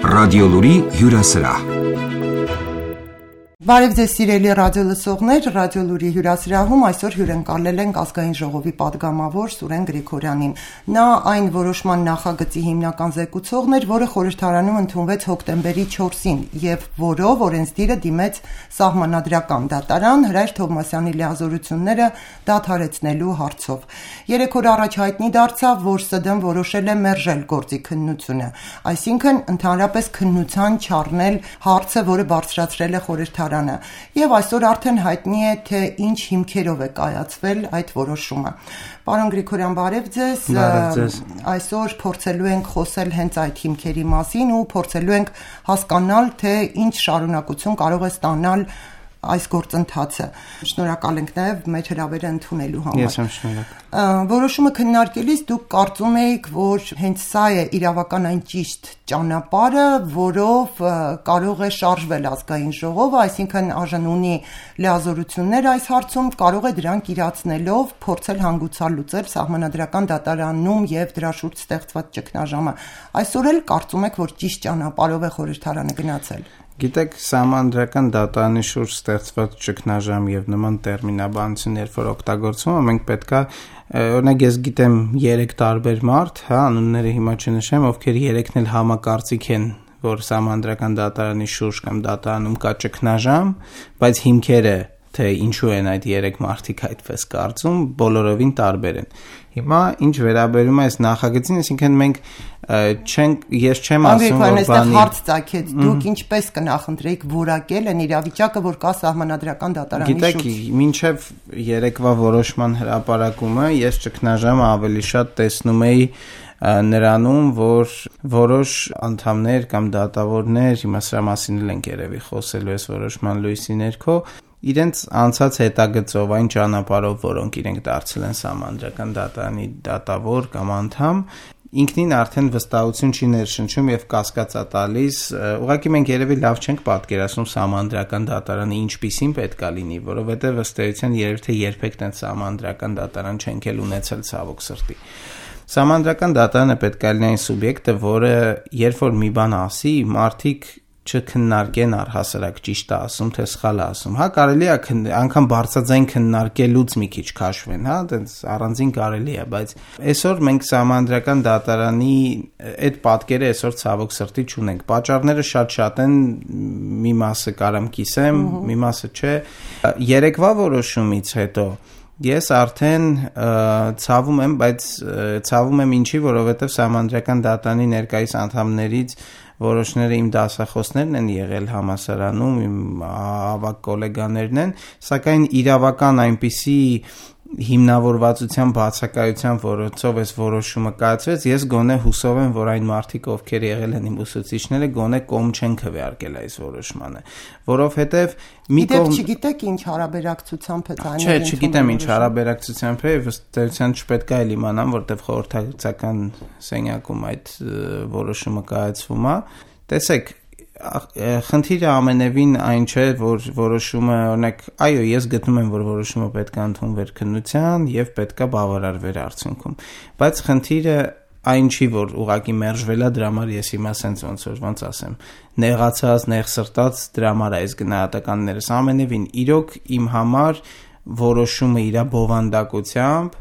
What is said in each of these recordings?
Ռադիոլուրի հյուրասրահ։ Բարև ձեզ սիրելի ռադիոլսողներ, Ռադիոլուրի հյուրասրահում այսօր հյուրընկալել ենք Ազգային ժողովի պատգամավոր Սուրեն Գրիգորյանին։ Նա այն որոշման նախագծի հիմնական զեկուցողն էր, որը խորհրդարանում ընդունվեց հոկտեմբերի 4-ին եւ որով օրենսդիրը դիմեց սահմանադրական դատարան Հրայր Թովմասյանի լիազորությունները դադարեցնելու հարցով։ 3 օր առաջ հայտնի դարձավ, որ ՍԴ-ն որոշել է մերժել գործի քննությունը, այսինքն ընդհանրապես քննության չառնել հարցը, որը բարձրացրել է խորհրդարանը։ Եվ այսօր արդեն հայտնի է, թե ինչ հիմքերով է կայացվել այդ որոշումը։ Պարոն Գրիգորյան, բարև ձեզ։ Այսօր փորձելու ենք խոսել հենց այդ հիմքերի մասին ու փորձելու ենք հասկանալ, թե ինչ շարունակություն կարող է ստանալ այս գործընթացը։ Շնորհակալ ենք նաև մեր հրավերը ընդունելու համար։ Ես եմ շնորհակալ։ Որոշումը քննարկելիս դուք կարծում եք, որ հենց սա է իրավական այն ճիշտ ճանապարհը, որով կարող է շարժվել ազգային ժողովը, այսինքն արժան ունի լիազորություններ այս հարցում, կարող է դրանք իրացնելով փորձել հանգուցալ լուծել սահմանադրական դատարանում եւ դրա շուրջ ստեղծված ճգնաժամը։ Այսօր էլ կարծում եք, որ ճիշտ ճանապարհով է խորհրդարանը գնացել։ Գիտեք, սահմանադրական դատարանի շուրջ ստեղծված ճգնաժամ եւ նման տերմինաբանություն, երբ որ օգտագործվում է, մենք պետքա օրինակ ես գիտեմ 3 տարբեր մարդ, անունները հիմա չնշեմ, ովքեր 3-ն էլ համակարծիք են, որ սահմանադրական դատարանի շուրջ կամ դատարանում կա ճգնաժամ, բայց հիմքերը թե ինչու են այդ 3 մարդիկ այդպես կարծում, բոլորովին տարբեր են։ Հիմա ինչ վերաբերում է այս նախագծին, այսինքն մենք ես չեմ ասում, որ բանի հարց ծագեց, դուք ինչպես կնախընտրեիք որակել այն իրավիճակը, որ կա սահմանադրական դատարանի շուրջ։ Գիտեք, մինչև երեկվա որոշման հրապարակումը ես ճգնաժամը ավելի շատ տեսնում էի նրանում, որ որոշ անդամներ կամ դատավորներ, հիմա սրա մասին էլ ենք երևի խոսելու այս որոշման լույսի ներքո, իրենց անցած հետագծով այն ճանապարհով, որոնք իրենք դարձել են սահմանադրական դատարանի դատավոր կամ անդամ, ինքնին արդեն վստահություն չի ներշնչում եւ կասկածա տալիս, ուղղակի մենք երևի լավ չենք պատկերացնում սահմանադրական դատարանը ինչպիսին պետքա լինի, որովհետեւ ըստ էության երևի թե երբեք տենց սահմանադրական դատարան չենք էլ ունեցել ցավոք սրտի։ Սահմանադրական դատարանը պետք է լինի այն սուբյեկտը, որը երբ որ մի բան ասի, մարդիկ չքննարկեն առհասարակ ճիշտ է ասում, թե սխալ է ասում։ Հա, կարելի է անգամ բարձրաձայն քննարկելուց մի քիչ քաշվեն, հա, այդպես առանձին կարելի է, բայց այսօր մենք սահմանադրական դատարանի այդ պատկերը այսօր ցավոք սրտի չունենք։ Պատճառները շատ են, մի մասը կարամ կիսեմ, մի մասը չէ։ Երեկվա որոշումից հետո ես արդեն ցավում եմ, բայց ցավում եմ ինչի, որովհետև սահմանադրական դատարանի ներկայիս անդամներից որոշները իմ դասախոսներն են եղել համալսարանում, իմ ավագ գոլեգաներն են, սակայն իրավական այնպիսի հիմնավորվածության բացակայության որոցով այս որոշումը կայացվեց, ես գոնե հուսով եմ, որ այն մարդիկ, ովքեր եղել են իմ ուսուցիչները, գոնե կողմ չեն քվեարկել այս որոշմանը, որովհետև մի կողմ չգիտեք ինչ հարաբերակցությամբ է դա։ Չէ, չգիտեմ ինչ հարաբերակցությամբ է, ըստ էության չպետք է իմանամ, որտեղ խորհրդակցական սենյակում այդ որոշումը կայացվում է։ Տեսեք, խնդիրը ամենևին այն չէ, որ որոշումը, օրինակ, այո, ես գտնում եմ, որ որոշումը պետք է ընդունվեր քննության եւ պետք է բավարարվեր արդյունքում, բայց խնդիրը այն չի, որ ուղղակի մերժվել է, դրա համար ես հիմա sense ոնց ասեմ, նեղացած, նեղսրտած դրա համար այս գնահատականներս ամենևին իրոք իմ համար որոշումը իր բովանդակությամբ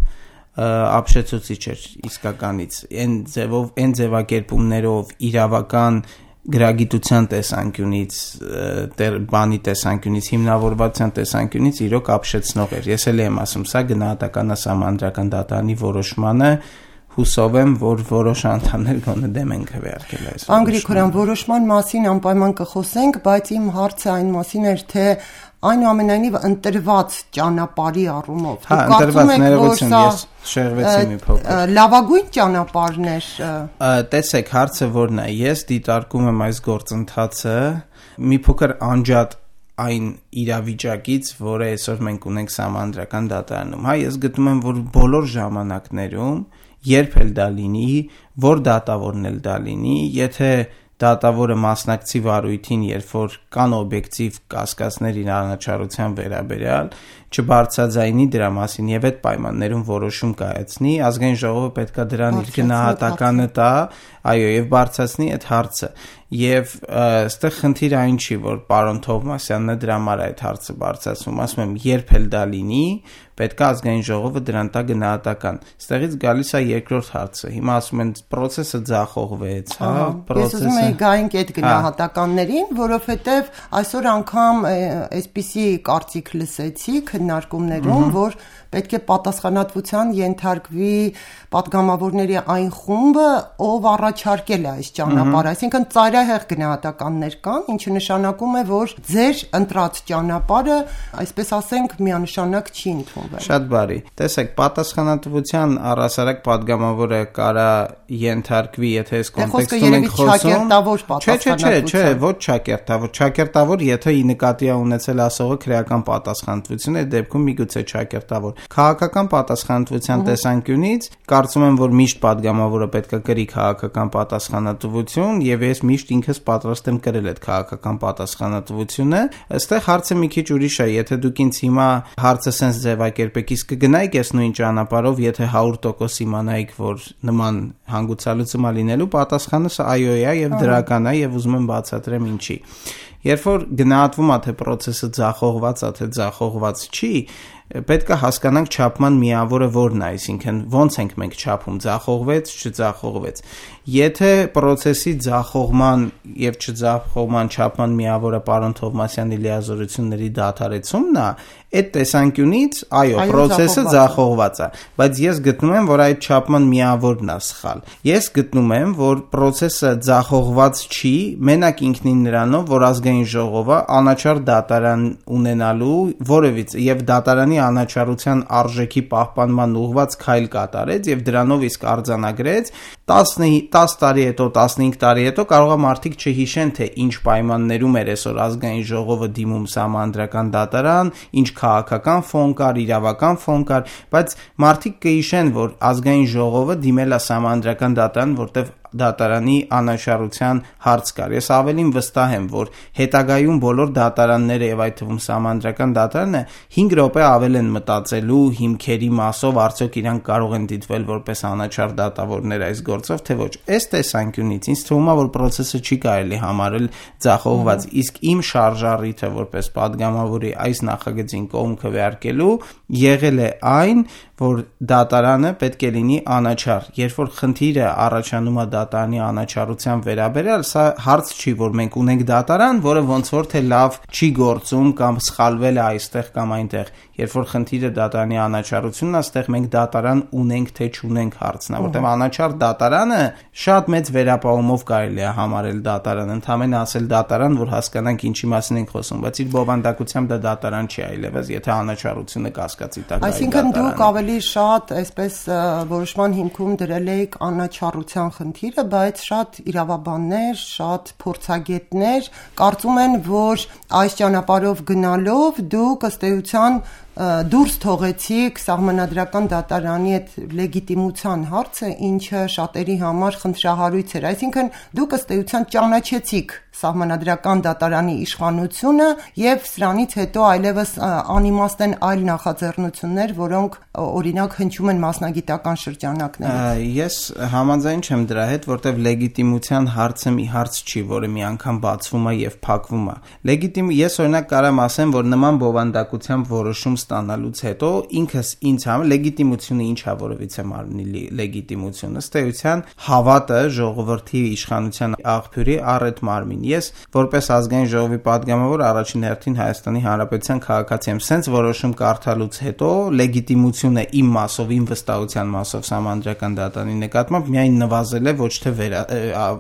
ապշեցուցիչ էր իսկականից, այն ձևակերպումներով իրավական գրագիտության տեսանկյունից, բանի տեսանկյունից, հիմնավորվածության տեսանկյունից իրոք ապշեցնող էր։ Ես էլ եմ ասում, սա գնահատական է սահմանադրական դատարանի որոշմանը, հուսով եմ, որ որոշ անդամներ գոնե դեմ են քվեարկել այս։ Պարոն Գրիգորյան, որոշման մասին անպայման կխոսենք, բայց իմ հարցը այն մասին էր, թե այնուամենայնիվ ընտրված ճանապարհի առումով։ Հա, ընտրված ներողություն, ես շեղվեցի մի փոքր։ Լավագույն ճանապարհն էր։ Տեսեք, հարցը որն է, ես դիտարկում եմ այս գործընթացը մի փոքր անջատ այն իրավիճակից, որը այսօր մենք ունենք սահմանադրական դատարանում։ Հա, ես գտնում եմ, որ բոլոր ժամանակներում երբ էլ դա լինի, որ դատավորն էլ դա լինի, եթե դատավորը մասնակցի վարույթին, երբ որ կան օբյեկտիվ կասկածներ իր անաչառության վերաբերյալ, չբարձրաձայնի դրա մասին եւ այդ պայմաններում որոշում կայացնի, ազգային ժողովը պետքա դրան իր գնահատականը տա, այո, եւ բարձրացնի այդ հարցը։ Եվ այստեղ խնդիրը այն չի, որ պարոն Թովմասյանն է դրա համար այդ հարցը բարձրացնում, ասում եմ, երբ էլ դա լինի, պետք է ազգային ժողովը դրան տա գնահատական։ Այստեղից գալիս է երկրորդ հարցը։ Հիմա ասում են process-ը ձախողվեց, հա, Ես ուզում եի գայինք այդ գնահատականներին, որովհետև այսօր անգամ այսպիսի կարծիք լսեցի քննարկումներում, որ պետք է պատասխանատվության ենթարկվի պատգամավորների այն խումբը, ով առաջարկել է այս ճանապարհը, այսինքն ծայրահեղ գնահատականներ կան, ինչը նշանակում է, որ ձեր ընտրած ճանապարհը, այսպես ասենք, միանշանակ չի ընդունվել։ Շատ բարի։ Տեսեք, պատասխանատվության առհասարակ պատգամավորը կարա ենթարկվի, եթե այս կոնտեքստում ենք խոսում։ Չէ, ոչ ճակերտավոր, ճակերտավոր, եթե ի նկատի ունեցել ասողը քրեական պատասխանատվություն է, դեպքում միգուցե ճակերտավոր։ Քաղաքական պատասխանատվության տեսանկյունից կարծում եմ, որ միշտ պատգամավորը պետք է կրի քաղաքական պատասխանատվություն, եւ ես միշտ ինքս պատրաստ եմ կրել այդ քաղաքական պատասխանատվությունը։ Այստեղ հարցը մի քիչ ուրիշ է, եթե դուք ինձ հիմա հարցը sense ձևակերպեք, իսկ կգնայիք այս նույն ճանապարհով, եթե 100% իմանայիք, որ նման հանգուցալուծում լինելու, պատասխանը այո է եւ դրական է եւ ուզում եմ բացատրեմ ինչի։ Երբ որ գնահատվում է թե process-ը ձախողված է, թե ձախողված չի, պետք է հասկանանք չափման միավորը որն է, այսինքն ոնց ենք մենք չափում, ձախողվեց, չձախողվեց։ Եթե process-ի ձախողման եւ չձախողման չափման միավորը պարոն Թովմասյանի լիազորությունների դադարեցումն է, այդ տեսանկյունից, այո, process-ը ձախողված է, բայց ես գտնում եմ, որ այդ չափման միավորն է սխալ։ Ես գտնում եմ, որ process-ը ձախողված չի, մենակ ինքնին նրանով, որ ազգային ժողովը անաչառ դատարան ունենալու որևիցե եւ դատարանի անաչառության արժեքի պահպանման ուղղված քայլ կատարեց եւ դրանով իսկ արձանագրեց 10 տարի հետո, 15 տարի հետո կարող է մարդիկ չհիշեն, թե ինչ պայմաններում էր այսօր ազգային ժողովը դիմում սահմանադրական դատարան, ինչ քաղաքական ֆոն կար, իրավական ֆոն կար, բայց մարդիկ կհիշեն, որ ազգային ժողովը դիմել է սահմանադրական դատարան, որտեղ դատարանի անաչառության հարց կար։ Ես ավելին վստահ եմ, որ հետագայում բոլոր դատարանները եւ այդ թվում սահմանադրական դատարանը 5 րոպե ավել են մտածելու հիմքերի մասով, արդյոք իրանք կարող են դիտվել որպես անաչառ դատավորներ այս գործով, թե ոչ։ Այս տեսանկյունից ինձ թվում է, որ process-ը չի կարելի համարել ձախողված, իսկ իմ շարժառիթը որպես падգամավորի այս նախագծին կողմ քվեարկելու եղել է այն, որ դատարանը պետք է լինի անաչառ։ Երբ որ խնդիրը առաջանում է դատարանի անաչառության վերաբերյալ, սա հարց չի, որ մենք ունենք դատարան, որը ոնց որ թե լավ չի գործում կամ սխալվել է այստեղ կամ այնտեղ։ Երբ որ խնդիրը դատարանի անաչառությունն է, այստեղ մենք դատարան ունենք թե չունենք հարցն է, որտեղ անաչառ դատարանը շատ մեծ վերապահումով կարելի է համարել դատարան, ընդհանրապես ասել դատարան, որ հասկանանք ինչի մասին ենք խոսում, բայց իր բովանդակությամբ դա դատարան չի այլևս, եթե անաչառությունը կասկածի տակ է։ Այսինքն դուք ավելի շատ այսպես որոշման հիմքում դրել եք անաչառության խնդիրը, բայց շատ իրավաբաններ, շատ փորձագետներ կարծում են, որ այս ճանապարհով գնալով դուք ըստ էության դուրս թողեցիք սահմանադրական դատարանի այդ լեգիտիմության հարցը, ինչը շատերի համար խնդրահարույց էր։ Այսինքն դուք ըստ էության ճանաչեցիք սահմանադրական դատարանի իշխանությունը եւ սրանից հետո այլևս անիմաստ են այլ նախաձեռնություններ, որոնք օրինակ հնչում են մասնագիտական շրջանակներից։ Ես համաձայն չեմ դրա հետ, որտեղ լեգիտիմության հարցը մի հարց չի, որը մի անգամ բացվում է եւ փակվում է։ Ես օրինակ կարամ ասեմ, որ նման բովանդակությամբ որոշում ստանալուց հետո ինքս ինձ համար լեգիտիմությունը ինչ է, որովից է մարմնի լեգիտիմությունը, ըստ էության հավատը ժողովրդի իշխանության աղբյուրի առ մարմին։ Ես որպես ազգային ժողովի падգամավոր առաջին հերթին Հայաստանի Հանրապետության քաղաքացի եմ, սենց որոշում կարդալուց հետո լեգիտիմությունը իմ մասով, իմ վստահության մասով սահմանադրական դատարանի նկատմամբ միայն նվազել է, ոչ թե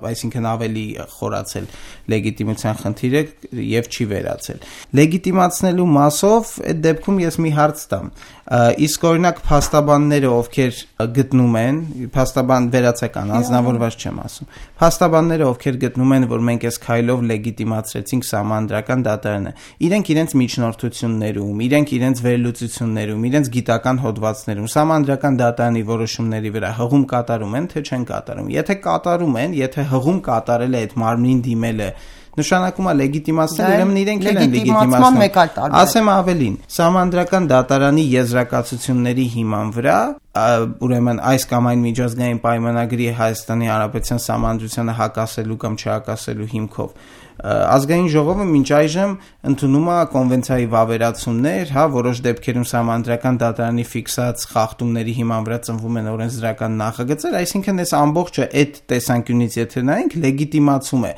այսինքն ավելի խորացել լեգիտիմության խնդիրը եւ չի վերացել։ Լեգիտիմացնելու մասով այդ դեպքում ես մի հարց տամ։ Իսկ օրինակ փաստաբանները, ովքեր գտնում են, փաստաբան վերացական, անձնավորված չեմ ասում։ Փաստաբանները, ովքեր գտնում են, որ մենք այս քայլով լեգիտիմացրեցինք Սահմանադրական դատարանը, իրենք իրենց միջնորդություններում, իրենք իրենց վերլուծություններում, իրենց գիտական հոդվածներում Սահմանադրական դատարանի որոշումների վրա հղում կատարում են, թե չեն կատարում։ Եթե կատարում են, եթե հղում կատարել է այդ մարմնին դիմելը, նշանակում է լեգիտիմացնել, ուրեմն իրենք են լեգիտիմացնում։ Ասեմ ավելին, Սահմանադրական դատարանի եզրակացությունների հիման վրա, ուրեմն այս կամ այն միջազգային պայմանագրի Հայաստանի Հանրապետության Սահմանադրությանը հակասելու կամ չհակասելու հիմքով Ազգային ժողովը մինչ այժմ ընդունում է կոնվենցիայի վավերացումներ, որոշ դեպքերում Սահմանադրական դատարանի ֆիքսած խախտումների հիման վրա ծնվում են օրենսդրական նախագծեր, այսինքն այս ամբողջը այդ տեսանկյունից եթե նայենք, լեգիտիմացում է։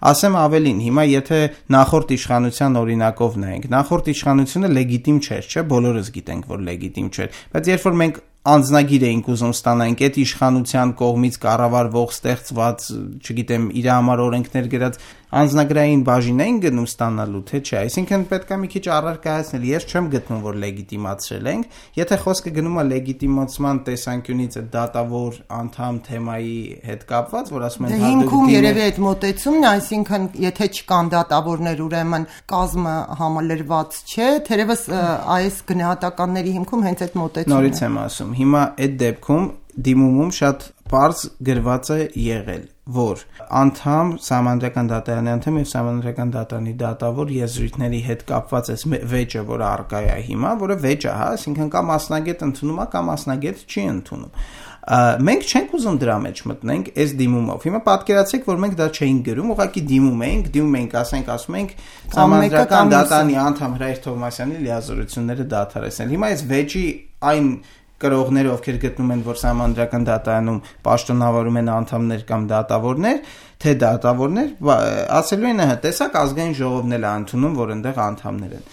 Ասեմ ավելին, հիմա եթե նախորդ իշխանության օրինակով նայենք, նախորդ իշխանությունը լեգիտիմ չէր, չէ՞, բոլորս գիտենք, որ լեգիտիմ չէր, բայց երբ որ մենք անձնագիր էինք ուզում ստանանք այդ իշխանության կողմից կառավարվող ստեղծված, չգիտեմ, իր համար օրենքներ գրած անձնագրային բաժին էին գնում ստանալու, թե չէ, այսինքն պետք է մի քիչ առարկայացնել, ես չեմ գտնում, որ լեգիտիմացրել ենք, եթե խոսքը գնում է լեգիտիմացման տեսանկյունից այդ դատավոր անդամ թեմայի հետ կապված, որ ասում են հիմքում երևի այդ մոտեցումն է, այսինքն եթե չկան դատավորներ, ուրեմն կազմը համալրված չէ, թերևս այս գնահատականների հիմքում հենց այդ մոտեցումն է։ Նորից եմ ասում, հիմա այդ դեպքում դիմումում շատ պարզ գրված է եղել, որ անդամ Սահմանադրական դատարանի անդամ եւ Սահմանադրական դատարանի դատավոր եզրույթների հետ կապված է վեճը, որը առկա է հիմա, որը վեճ է, այսինքն կամ մասնագետ ընդունում է, կամ մասնագետ չի ընդունում։ Մենք չենք ուզում դրա մեջ մտնենք այս դիմումով։ Հիմա պատկերացրեք, որ մենք դա չէինք գրում, ուղղակի դիմում էինք, ասում ենք Սահմանադրական դատարանի անդամ Հրայր Թովմասյանի լիազորությունները դադարեցնել։ Հիմա այս վեճի այն կրողները, ովքեր գտնում են, որ Սահմանադրական դատարանում պաշտոնավարում են անդամներ կամ դատավորներ, թե դատավորներ, ասելու են, տեսակ ազգային ժողովն էլ է ընդունում, որ այնտեղ անդամներ են։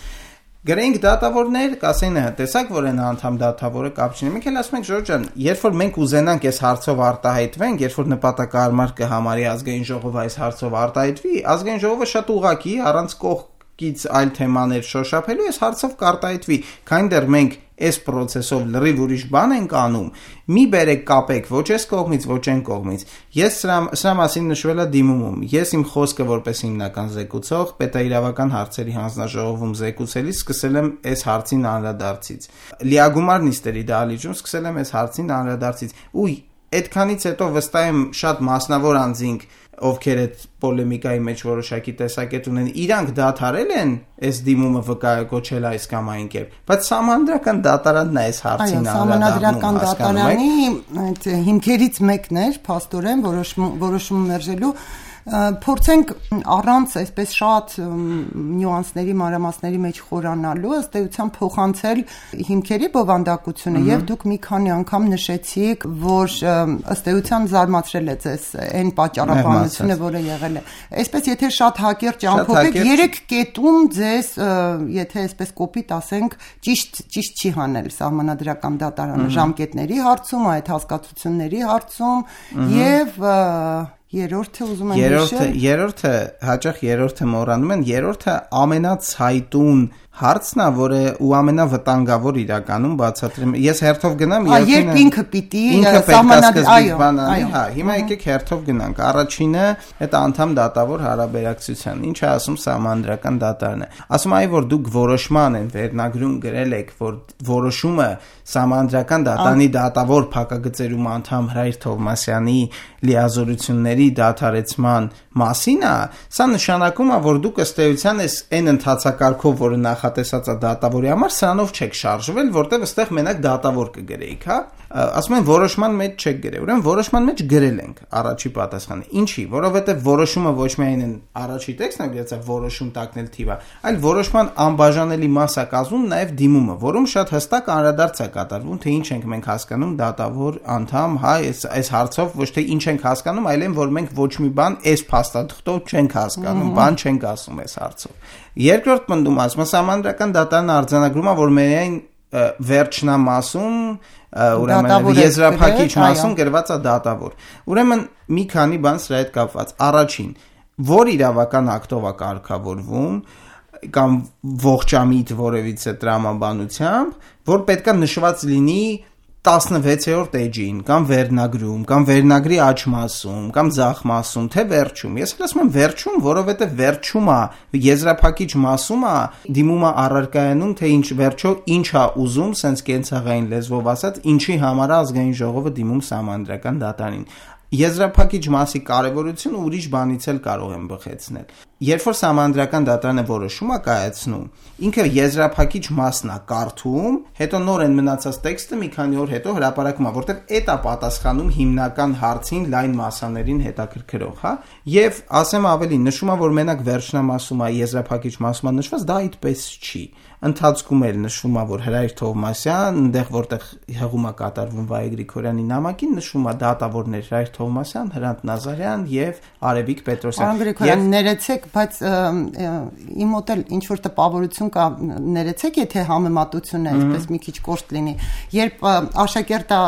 Գրենք դատավորներ, կասեն, տեսակ, որ այն անդամ դատավորը կապ չունի։ Մենք էլ ասում ենք, Ժորժ ջան, երբ որ մենք ուզենանք այս հարցով արտահայտվենք, երբ որ նպատակահարմար կհամարի ազգային ժողովը այս հարցով արտահայտվի, ազգային ժողովը շատ ուղղակի առանց կողքից այլ թեմաներ շոշափելու այս հարցով կարտահայտվի, քանի դեռ մենք այս process-ով լրիվ ուրիշ բան ենք անում, մի բերեք կապեք ոչ այս կողմից, ոչ այն կողմից։ Ես սրա մասին նշվել է դիմումում։ Ես իմ խոսքը որպես հիմնական զեկուցող պետաիրավական հարցերի հանձնաժողովում զեկուցելիս սկսել եմ այս հարցին անդրադարձից։ Լիագումար նիստերի դահլիճում սկսել եմ այս հարցին անդրադարձից։ Ու այդքանից հետո վստահ եմ շատ մասնավոր անձինք, ովքեր այդ պոլեմիկայի մեջ որոշակի տեսակետ ունեն, իրանք դադարել են այս դիմումը վկայակոչել այս կամ այն կերպ, բայց Սահմանադրական դատարանն է այս հարցին Սահմանադրական դատարանի այդ հիմքերից մեկն էր, փաստորեն որոշում մերժելու փորձենք առանց այսպես շատ նյուանսների, մանրամասների մեջ խորանալու ըստ էության փոխանցել հիմքերի բովանդակությունը եւ դուք մի քանի անգամ նշեցիք, որ ըստ էության զարմացրել է ձեզ այն պատճառաբանությունը, որը եղել է։ Այսպես եթե շատ հակերճ ամփոփեք, 3 կետում ձեզ, եթե այսպես կոպիտ ասենք, ճիշտ չի հանել Սահմանադրական դատարանը ժամկետների հարցում, այդ հասկացությունների հարցում եւ երրորդը ուզում եմ նշել։ Երրորդը հաճախ երրորդը մոռանում են, երրորդը ամենացայտուն հարցն է, որը ու ամենավտանգավոր իրականում բացատրեմ։ Ես հերթով գնամ, երբ ինքը պիտի սահմանադրական, հիմա եկեք հերթով գնանք։ Առաջինը այդ անդամ դատավոր հարաբերակցության, ինչ է ասում Սահմանադրական դատարանը։ Ասում այ որ դուք որոշման են վերնագրում գրել եք, որ որոշումը Սահմանադրական դատարանի դատավոր փակագծերում անդամ Հրայր Թովմասյանի լիազորությունների դադարեցման մասին է, սա նշանակում է, որ դուք ըստ էության այն ընթացակարգով, որը նախատեսած է դատավորի համար, սրանով չեք շարժվել, որտեղ այստեղ մենակ դատավոր կգրեիք, հա։ Ասում են որոշման մեջ չեք գրել, ուրեմն որոշման մեջ գրել ենք առաջի պատասխանը։ Ինչի, որովհետև որոշումը ոչ միայն են առաջի տեքստն է գրած, որոշում տակնել թիվը, այլ որոշման անբաժանելի մաս է կազմում նաև դիմումը, որում շատ հստակ անդրադարձ է կատարվում, թե ինչ ենք մենք հասկանում դատավոր անդամ, հա, այս հարցով ոչ թե ինչ ենք հասկանում, այլ այն, որ մենք ոչ մի բան այս փաստաթղթով չենք հասկանում, բան չենք ասում այս հարցով։ Երկրորդ պնդում ասում է Սահմանադրական դատարանը արձանագրում է, որ միայն վերջնամասում, ուրեմն եզրափակիչ մասում գրված է դատավոր։ Ուրեմն մի քանի բան սրա հետ կապված։ Առաջին, որ իրավական ակտով է կարգավորվում, կամ ողջամիտ որևիցե տրամաբանությամբ, որ պետքա նշված լինի 16-րդ էջին, կամ վերնագրում, կամ վերնագրի աջ մասում, կամ ձախ մասում, թե վերջում։ Ես ասում եմ վերջում, որովհետև վերջում է եզրափակիչ մասում է դիմումը առարկայանում, թե ինչ վերջո ինչ է ուզում, սենց կենցաղային լեզվով ասած, ինչի համար ազգային ժողովը դիմում Սահմանադրական դատարանին։ Եզրափակիչ մասի կարևորությունը ուրիշ բանից էլ կարող եմ բխեցնել։ Երբ որ Սահմանադրական դատարանը որոշում է կայացնում, ինքը եզրափակիչ մասն է կարդում, հետո նորեն մնացած տեքստը մի քանի օր հետո հրապարակում է, որտեղ էդ է պատասխանում հիմնական հարցին լայն մասաներին հետաքրքրող, հա։ Եւ ասեմ ավելին, նշում է, որ մենակ վերջնամասում է եզրափակիչ մասում է նշված, դա այդպես չի։ Ընթացքում էլ նշվում է, որ Հրայր Թովմասյան, այնտեղ որտեղ հղում է կատարվում Վայե Գրիգորյանի նամակին, նշվում է դատավորներ Հրայր Թովմասյան, Հրանտ Նազարյան եւ Արևիկ Պետրոսյան։ Գրիգորյան, ներեցեք, բայց իմ մոտ էլ ինչ որ տպավորություն կա, ներեցեք, եթե համեմատությունը այսպես մի քիչ կոշտ լինի, երբ աշակերտը,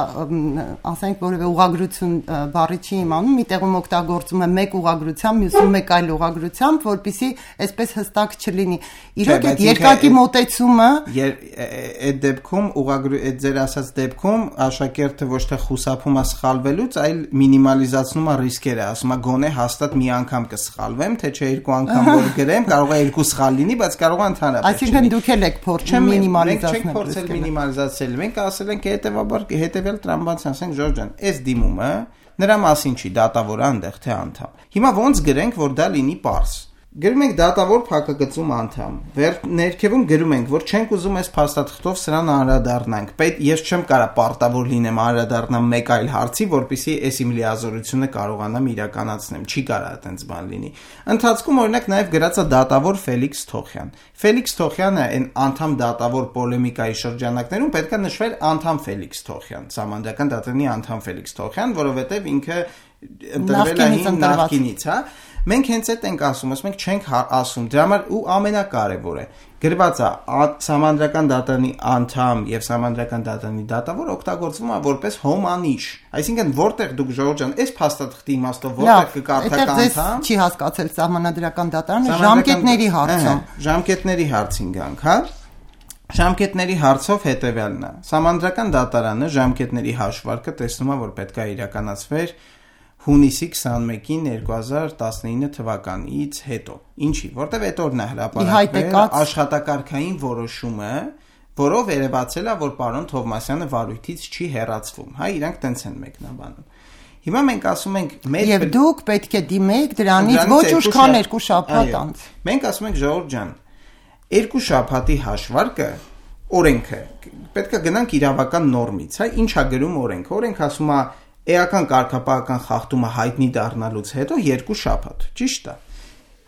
ասենք, որևէ ուղղագրություն բառի չի իմանում, մի տեղում օգտագործում է մեկ ուղղագրությամբ, մյուսում մեկ այլ ուղղագրությամբ, որպեսզի այսպես հստակ չլինի։ Իրոք այդ երկակի մոտեցումը այդ դեպքում այդ ձեր ասած դեպքում աշակերտը ոչ թե խուսափում է սխալվելուց, այլ մինիմալիզացնում է ռիսկերը, ասում է գոնե հաստատ մի անգամ կսխալվեմ, թե չէ երկու անգամ որ գրեմ, կարող է երկու սխալ լինի, բայց կարող է ընդհանրապես։ Այսինքն դուք էլ եք փորձում մինիմալիզացնել։ Մենք չենք փորձել մինիմալիզացնել, մենք ասել ենք հետեւաբար հետեւյալ տրամաբանության, ասենք Ժորժան, այս դիմումը նրա մասին չի, դատավորը այնտեղ թե անդամ։ Հիմա ոնց գրենք, որ դա լինի պարզ։ Գրում ենք դատավոր փակագծում անդամ։ Ներքևում գրում ենք, որ չենք ուզում այս փաստաթղթով սրան անդրադառնանք։ Ես չեմ կարա պարտավոր լինեմ անդրադառնամ մեկ այլ հարցի, որպեսզի այս իմ լիազորությունը կարողանամ իրականացնեմ։ Չի կարա այդպես բան լինի։ Ընթացքում օրինակ նաև գրած է դատավոր Ֆելիքս Թոխյան։ Ֆելիքս Թոխյանը այն անդամ դատավոր պոլեմիկայի շրջանակներում պետք է նշվել անդամ Ֆելիքս Թոխյան, Սահմանադրական դատարանի անդամ Ֆելիքս Թոխյան, որովհետև ինքը ընտրվել է նախկինից, հա։ Մենք հենց այդ ենք ասում, ասում ենք չենք ասում, դրա համար ու ամենակարևորը գրված է Սահմանադրական դատարանի անդամ եւ Սահմանադրական դատարանի դատավոր օգտագործվում է որպես հոմանիշ, այսինքն որտեղ դուք Ժորժան այս փաստաթղթի իմաստով որտեղ կկարդաք անդամ, չի հասկացել Սահմանադրական դատարանը ժամկետների հարցում, ժամկետների հարցին գանք, հա։ Ժամկետների հարցով հետեւյալն է։ Սահմանադրական դատարանը ժամկետների հաշվարկը տեսնում է, որ պետք է իրականացվեր հունիսի 21-ին 2019 թվականից հետո։ Ինչի, որտեվ այդ օրն է հրապարակվել աշխատակարգային որոշումը, որով երևացել է, որ պարոն Թովմասյանը վարույթից չի հեռացվում, հա, իրանք տենց են մեկնաբանում։ Հիմա մենք ասում ենք եւ դուք պետք է դիմեք դրանից ոչ ուշքան 2 շաբաթ անց։ Մենք ասում ենք Ժողովուրդ ջան, 2 շաբաթի հաշվարկը օրենքը պետք է գնանք իրավական նորմից, հա, ինչ է գրում օրենքը։ Օրենքը ասում է էական կարգապահական խախտումը հայտնի դառնալուց հետո 2 շաբաթ, ճիշտ է։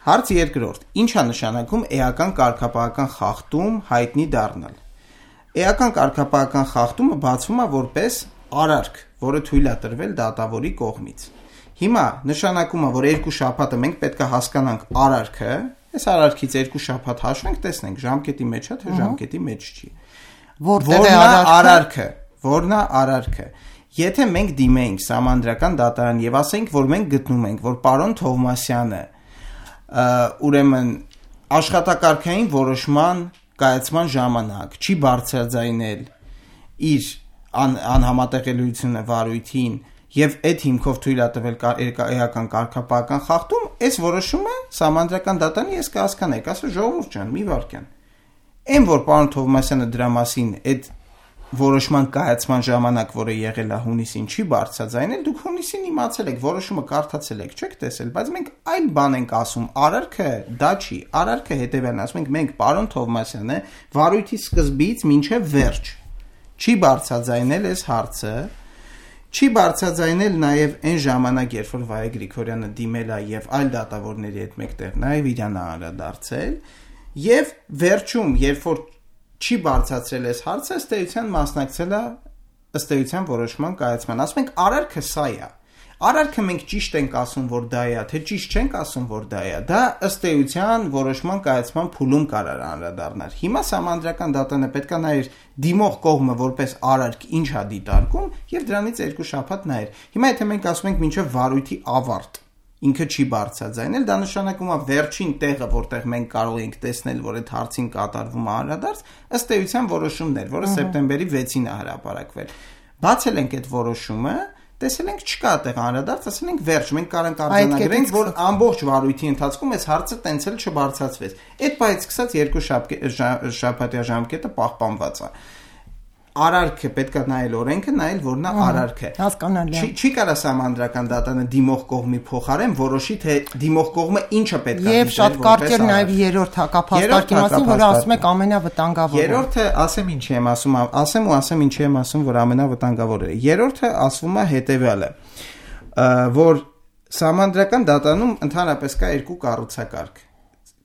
Հարց երկրորդ. ինչ է նշանակում էական կարգապահական խախտում հայտնի դառնալ։ Էական կարգապահական խախտումը բացվում է որպես արարք, որը թույլ է տրվել դատավորի կողմից։ Հիմա նշանակում է, որ 2 շաբաթը մենք պետք է հասկանանք արարքը, այս արարքից 2 շաբաթ հաշվենք, տեսնենք ժամկետի մեջ է, թե ժամկետի մեջ չի։ Որն է արարքը, որն է արարքը։ Եթե մենք դիմենք Սահմանադրական դատարան եւ ասենք, որ մենք գտնում ենք, որ պարոն Թովմասյանը ուրեմն աշխատակարգային որոշման կայացման ժամանակ չի բարձրաձայնել իր անհամատեղելիությունը վարույթին եւ այդ հիմքով թույլ է տվել էական կարգապահական խախտում, այս որոշումը Սահմանադրական դատարանի ես կհասկանայի, ասա Ժողովուրդ ջան, մի վարքյան։ Այն որ պարոն Թովմասյանը դրա մասին այդ որոշման կայացման ժամանակ, որը եղել է հունիսին, չի բարձրաձայնել, դուք հունիսին իմացել եք, որոշումը կարդացել եք, չեք տեսել, բայց մենք այլ բան ենք ասում, արարքը դա չի, արարքը հետևյալն ասում ենք, մենք պարոն Թովմասյանը վարույթի սկզբից մինչև վերջ չի բարձրաձայնել այս հարցը, չի բարձրաձայնել նաև այն ժամանակ, երբ որ Վայե Գրիգորյանը դիմել է եւ այլ դատավորների հետ մեկտեղ նաև իրան անդրադարձել, եւ վերջում, երբ որ չի բարձրացրել այս հարցը, ըստ էության մասնակցել է ըստ էության որոշման կայացման։ Ասում ենք արարքը սա է։ Արարքը մենք ճիշտ ենք ասում, որ դա է, թե ճիշտ չենք ասում, որ դա է։ Դա ըստ էության որոշման կայացման փուլում կարող է անդրադառնալ։ Հիմա Սահմանադրական դատարանը պետք է նայեր դիմող կողմը որպես արարք ինչ է դիտարկում եւ դրանից 2 շաբաթ նայեր։ Հիմա եթե մենք ասում ենք մինչեւ վարույթի ավարտ, ինքը չի բարձրաձայնել, դա նշանակում է վերջին տեղը, որտեղ մենք կարող ենք տեսնել, որ այդ հարցին կատարվում է անդրադարձ, ըստ էության որոշումներ, որը սեպտեմբերի 6-ին է հրապարակվել։ Բացել ենք այդ որոշումը, տեսել ենք չկա այդտեղ անդրադարձ, ասել ենք վերջ, մենք կարող արձանագրենք, որ ամբողջ վարույթի ընթացքում այս հարցը տենց էլ չբարձրացվեց։ Այդ բայից սկսած 2 շաբաթյա ժամկետը պահպանված է։ Արարքը պետք է նայել օրենքը, նայել որ նա արարք է։ Հասկանալի է։ Չի կարա սահմանադրական դատանը դիմող կողմի փոխարեն որոշի թե դիմող կողմը ինչը պետք է Եվ շատ կարճ է նաև երրորդ հակափաստարկի մասին, որը ասում եք ամենավտանգավորը։ Երրորդը ասեմ ինչի եմ ասում, ասեմ ինչի եմ ասում, որ ամենավտանգավորը է։ Երրորդը ասվում է հետևյալը, որ սահմանադրական դատանում ընդհանրապես կա երկու կառուցակարգ՝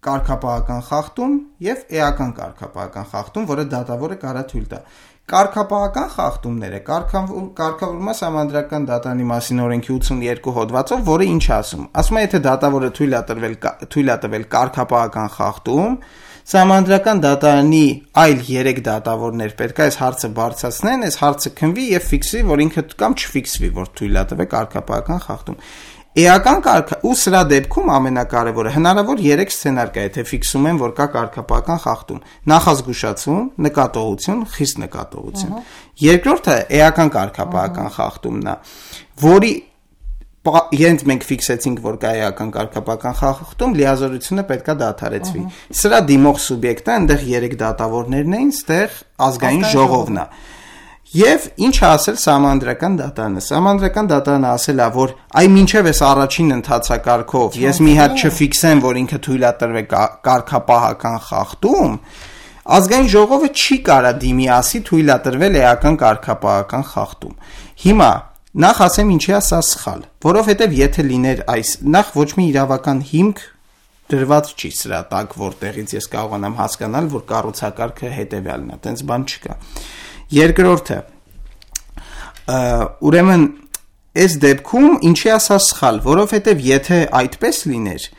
կարգապահական խախտում եւ էական կարգապահական խախտում, որը դատավորը կարա թույլ տա։ Կարգապահական խախտումները կարգավորվում է սահմանադրական դատանի մասին օրենքի 82 հոդվածով, որը ինչ ասում։ Ասում է, եթե դատավորը թույլ է տվել կարգապահական խախտում, սահմանադրական դատարանի այլ 3 դատավորներ պետք է այս հարցը բարձրացնեն, այս հարցը քննվի եւ ֆիքսվի, որ ինքը կամ չֆիքսվի, որ թույլ է տվել կարգապահական խախտում։ Էական կարգ ու սրա դեպքում ամենակարևորը հնարավոր 3 սցենար կա, եթե ֆիքսում են, որ կա կարգապահական խախտում՝ նախազգուշացում, նկատողություն, խիստ նկատողություն։ Երկրորդը էական կարգապահական խախտումն է, որի Երբ մենք ֆիքսեցինք, որ կա էական կարգապահական խախտում, լիազորությունը պետք է դադարեցվի։ Սրա դիմող սուբյեկտը այնտեղ 3 դատավորներն էին, ստեղ ազգային ժողովն է։ Եվ ինչ է ասել սահմանադրական դատարանը։ Սահմանադրական դատարանը ասել է, որ այ մինչև այս առաջին ընթացակարգով ես մի հատ չֆիքսեմ, որ ինքը թույլ է տրվել կարգապահական խախտում, ազգային ժողովը չի կարա դիմի ասի թույլ է տրվել էական կարգապահական խախտում։ Հիմա նախ ասեմ ինչի է սա սխալ, որովհետև եթե լիներ այս նախ ոչ մի իրավական հիմք դրված չի սրա տակ, որտեղից ես կարողանամ հասկանալ, որ կառուցակարգը հետևյալն է, այտենց բան չկա։ Երկրորդը, ուրեմն այս դեպքում ինչի է սա սխալ, որովհետև եթե այդպես լիներ,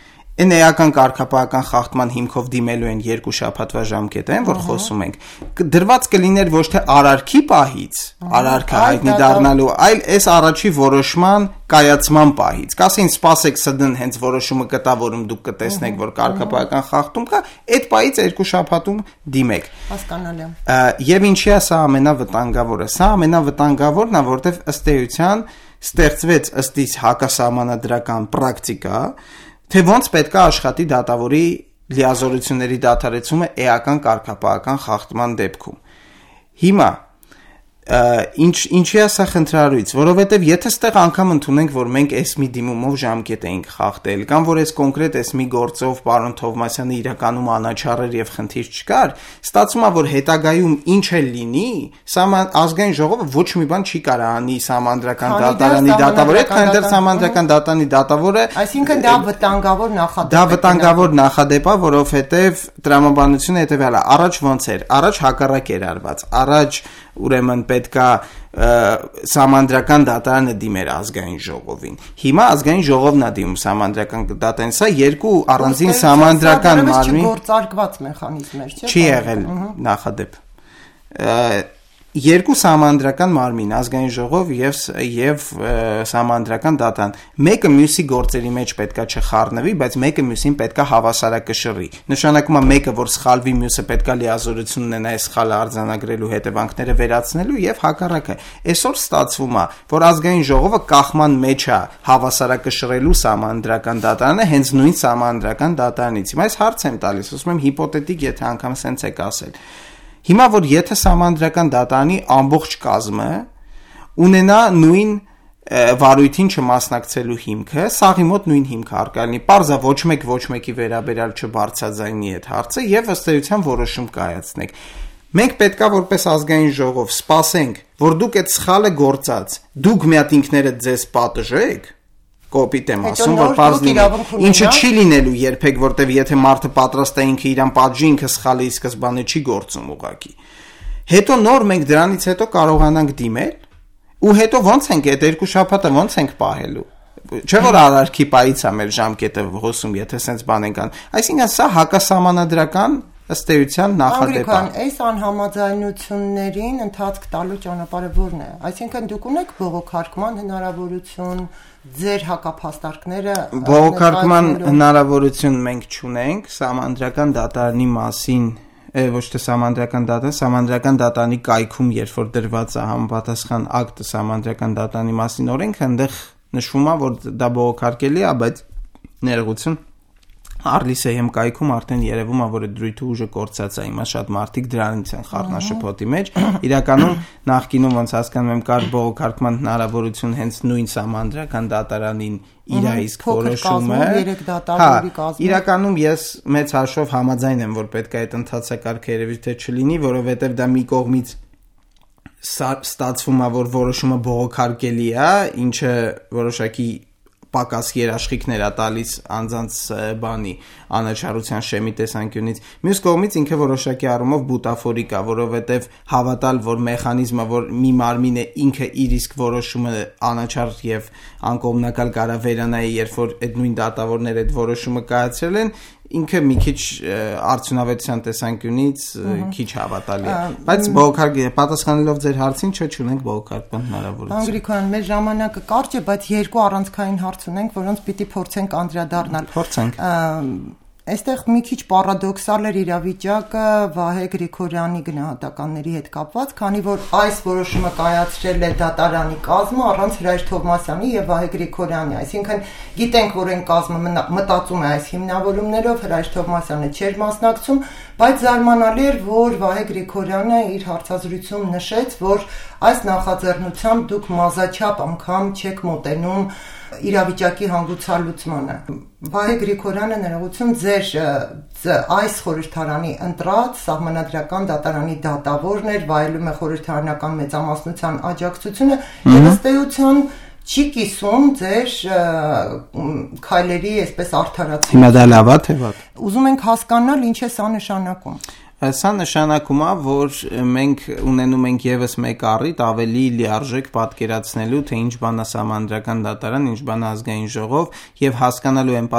այն էական կարգապահական խախտման հիմքով դիմելու են 2 շաբաթվա ժամկետը, որ խոսում ենք, դրված կլիներ ոչ թե արարքի պահից, արարքը հայտնի դառնալու, այլ այս առաջի որոշման կայացման պահից։ Կասեին սպասեք սդն հենց որոշումը կտա, որում դուք կտեսնեք, որ կարգապահական խախտում կա, այդ պահից 2 շաբաթում դիմեք։ Հասկանալի է։ Եվ ինչի է սա ամենավտանգավորը։ Սա ամենավտանգավորն է, որտեղ ըստ էության ստեղծվեց ըստ իս հակասահմանադրական պրակտիկա, թե ոնց պետք է աշխատի դատավորի լիազորությունների դադարեցումը էական կարգապահական խախտման դեպքում։ Հիմա ինչի է սա խնդրարույց, որովհետև եթե ստեղ անգամ ընդունենք, որ մենք այս մի դիմումով ժամկետ էինք խախտել, կամ որ այս կոնկրետ այս մի գործով պարոն Թովմասյանը իրականում անաչառ եւ խնդիր չկար, ստացվում է, որ հետագայում ինչ էլ լինի, ազգային ժողովը ոչ մի բան չի կարող անի սահմանադրական դատարանի դատավորը, քանի դեռ սահմանադրական դատարանի դատավորը, այսինքն դա վտանգավոր նախադեպ է։ Դա վտանգավոր նախադեպ է, որովհետև տրամաբանությունը հետևյալ է, առաջ ոնց էր, առաջ հակառակ էր արված, առաջ ուրեմն պետքա սահմանադրական դատարանը դիմեր ազգային ժողովին։ Հիմա ազգային ժողովն է դիմում սահմանադրական դատարանին, սա երկու առանձին սահմանադրական մարմին գործարկված մեխանիզմներ, չէ՞։ Չի եղել նախադեպ։ Երկու սահմանադրական մարմին, ազգային ժողով եւ սահմանադրական դատարան։ Մեկը մյուսի գործերի մեջ պետքա չխառնվի, բայց մեկը մյուսին պետքա հավասարակշռի։ Նշանակում է մեկը, որ սխալվի, մյուսը պետքա լիազորություն ունենա այս սխալը արձանագրելու հետևանքները վերացնելու եւ հակառակը։ Այսօր ստացվում է, որ ազգային ժողովը կախման մեջ է հավասարակշռելու սահմանադրական դատարանը հենց նույն սահմանադրական դատարանից։ Հիմա այս հարց եմ տալիս, ասում եմ հիպոթետիկ, եթե անգամ սենց եք ասել։ Հիմա որ եթե սահմանադրական դատարանի ամբողջ կազմը ունենա նույն վարույթին չմասնակցելու հիմքը, սաղի մոտ նույն հիմքը առկա լինի, պարզա ոչ մեկի վերաբերյալ չբարձրաձայնի այդ հարցը եւ ըստ էության որոշում կայացնենք։ Մենք պետքա որպես ազգային ժողով սպասենք, որ դուք այդ սխալը գործած, դուք մի հատ ինքներդ ձեզ պատժեք, կոպիտ եմ ասում, որ բարձրին ինչը չի լինելու երբեք, որտեվ եթե մարդը պատրաստ է ինքը իրան պատժի, ինքը սխալի սկզբանը չի գործում ուղղակի։ Հետո նոր մենք դրանից հետո կարողանանք դիմել ու հետո ոնց ենք այդ 2 շաբաթը ոնց ենք պահելու։ Չէ՞ որ արարքի պայից է մեր ժամկետը հոսում, եթե սենց բան ենք անում։ Այսինքն սա հակասահմանադրական ըստ էության նախադեպ է։ Այս անհամաձայնություններին ընթացք տալու ճանապարհը որն է։ Այսինքն դուք ունեք բողոքարկման հնարավորություն, ձեր հակափաստարկները բողոքարկման հնարավորություն մենք չունենք, սահմանադրական դատարանի մասին ոչ թե սահմանադրական դատարանի կայքում, երբ որ դրված է համապատասխան ակտը սահմանադրական դատարանի մասին օրենքը, այնտեղ նշվում է, որ դա բողոքարկելի է, բայց ներողություն Արլիսեյեմ կայքում արդեն երևում է, որ դրույթը ուժը կորցած է, հիմա շատ մարդիկ դրանից են խառնաշփոթի մեջ։ Իրականում նախկինում ոնց հասկանում եմ կար բողոքարկման հնարավորություն հենց նույն սահմանադրական դատարանին իր իսկ որոշումը։ Իրականում ես մեծ հաշվով համաձայն եմ, որ պետք է այդ ընթացակարգը երևի թե չլինի, որովհետև դա մի կողմից ստացվում է, որ որոշումը բողոքարկելի է, ինչը որոշակի պակաս երաշխիքներ է տալիս անձանց բանի անաչառության շեմի տեսանկյունից։ Մյուս կողմից ինքը որոշակի առումով բուտաֆորիկ է, որովհետև հավատալ, որ մեխանիզմը, որ մի մարմին է ինքը իր իսկ որոշումը անաչառ եւ անկողմնակալ կարա վերանայի, երբ որ այդ նույն դատավորները այդ որոշումը կայացրել են, ինքը մի քիչ արդյունավետության տեսանկյունից քիչ հավատալի է, բայց պատասխանելով ձեր հարցին, չունենք բողոքարկման հնարավորություն։ Անգրիկոյան, մեր ժամանակը կարճ է, բայց երկու առանցքային հարց ունենք, որոնց պիտի փորձենք անդրադառնալ։ Փորձենք։ Այստեղ մի քիչ պարադոքսալ էր իրավիճակը Վահե Գրիգորյանի գնահատականների հետ կապված, քանի որ այս որոշումը կայացրել է դատարանի կազմը առանց Հրայր Թովմասյանի եւ Վահե Գրիգորյանի, այսինքն գիտենք, որ այն կազմը մտածում է այս հիմնավորումներով, Հրայր Թովմասյանը չէր մասնակցում, բայց զարմանալի էր, որ Վահե Գրիգորյանը իր հարցազրույցում նշեց, որ այս նախաձեռնությամբ դուք մազաչափ անգամ չեք մոտենում իրավիճակի հանգուցալուծմանը։ Վահե Գրիգորյանը ներողություն ձեր այս խորհրդարանի ընտրած սահմանադրական դատարանի դատավորն էր, վայելում է խորհրդարանական մեծամասնության աջակցությունը եւ ըստ էության չի կիսում ձեր քայլերի այսպես արդարացում։ Հիմա դա լավ է թե վատ։ Ուզում ենք հասկանալ ինչ է սա նշանակում։ Սա նշանակում է, որ մենք ունենում ենք եւս մեկ առիթ ավելի լիարժեք պատկերացնելու, թե ինչ բան է սահմանադրական դատարան, ինչ բան է ազգային ժողով եւ հասկանալու են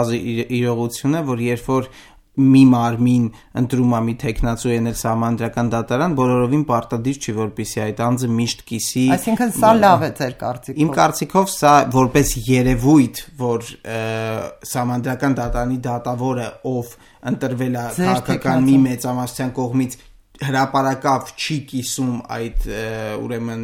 իրողությունը, որ երբ որ մի մարմին ընտրում է մի տեխնացու ենել սահմանադրական դատարան, բոլորովին պարտադիր չի, որպեսզի այդ անձը միշտ կիսի։ Այսինքն սա լավ է ձեր կարծիքով։ Իմ կարծիքով սա որպես երևույթ, որ սահմանադրական դատարանի դատավորը, ով ընտրվել է քաղաքական մի մեծամասնության կողմից, հրապարակավ չի կիսում այդ ուրեմն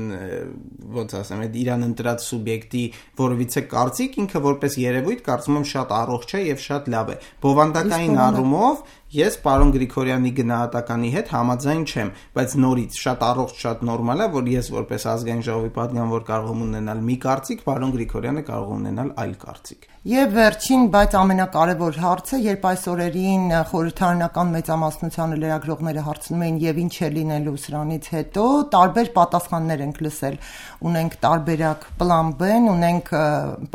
ոնց ասեմ, այդ իրան ընտրած սուբյեկտի որովիցե կարծիք, ինքը որպես երևույթ կարծում եմ շատ առողջ է եւ շատ լավ է։ Բովանդակային առումով ես պարոն Գրիգորյանի գնահատականի հետ համաձայն չեմ, բայց նորից շատ առողջ, շատ նորմալ է, որ ես որպես ազգային ժողովի պատգամավոր կարող եմ ունենալ մի կարծիք, պարոն Գրիգորյանը կարող է ունենալ այլ կարծիք։ Եվ վերջին, բայց ամենակարևոր հարցը, երբ այս օրերին խորհրդարանական մեծամասնությանը լրագրողները հարցնում էին եւ ինչ է լինելու սրանից հետո, տարբեր պատասխաններ ենք լսել։ Ունենք տարբերակ պլան B-ն, ունենք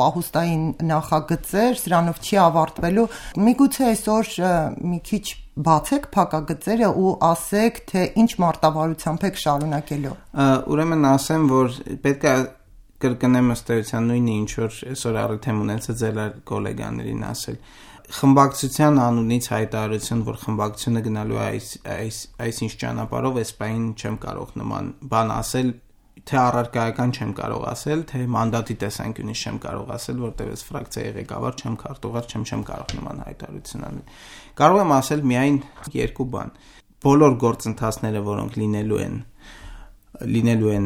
պահուստային նախագծեր, սրանով չի ավարտվելու։ Միգուցե այսօր մի քիչ բացեք փակագծերը ու ասեք, թե ինչ մարտավարությամբ եք շարունակելու։ Ուրեմն ասեմ, որ պետք է կրկնեմ ըստ էության նույնը, ինչ որ այսօր առիթ եմ ունեցել ձեր գոլեգաներին ասել։ Խմբակցության անունից հայտարարություն, որ խմբակցությունը գնալու է այսինչ ճանապարհով, այս պահին չեմ կարող նման բան ասել, թե առարկայական չեմ կարող ասել, թե մանդատի տեսանկյունից չեմ կարող ասել, որտեղ ես ֆրակցիայի ղեկավար չեմ, քարտուղար չեմ կարող նման հայտարարություն անել։ Կարող եմ ասել միայն երկու բան։ Բոլոր գործընթացները, որոնք լինելու են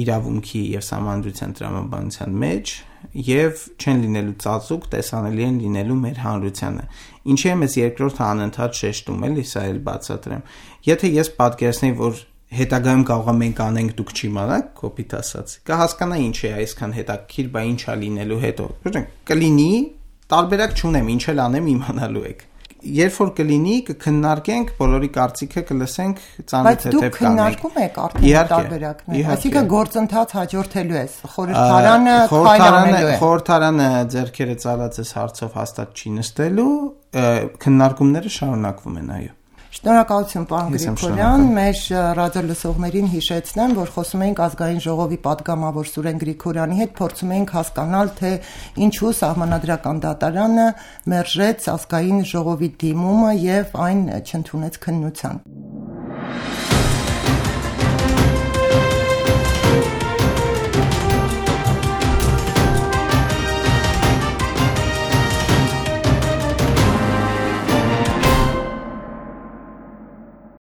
իրավունքի եւ սահմանադրության տրամաբանության մեջ եւ չեն լինելու ծածուկ, տեսանելի են լինելու մեր հանրությանը։ Ինչի եմ ես երկրորդ անընդհատ շեշտում, էլի սա էլ բացատրեմ։ Եթե ես պատկերացնեի, որ հետագայում կարող է մենք անենք, դուք չիմանաք, կոպիտ ասած, կհասկանա ինչ է այսքան հետաքրքիր, բա ինչ է լինելու հետո։ Կլինի, տարբերակ չունեմ, ինչ էլ անեմ իմանալու եք։ Երբ որ կլինի, կքննարկենք, բոլորի կարծիքը կլսենք, ծանոթ-թեթև կանենք։ Բայց դուք քննարկում եք արդեն տարբերակներ։ Այսինքն գործընթաց հաջորդելու է։ Խորհրդարանը քայլանելու է։ Խորհրդարանը ձեռքերը ծալած այս հարցով հաստատ չի նստելու, քննարկումները շարունակվում են, այո։ Շնորհակալություն, պարոն Գրիգորյան, մեր ռադիոլսողներին հիշեցնեմ, որ խոսում էինք ազգային ժողովի падգամավոր Սուրեն Գրիգորյանի հետ, փորձում էինք հասկանալ, թե ինչու Սահմանադրական դատարանը մերժեց ազգային ժողովի դիմումը եւ այն չընդունեց քննության։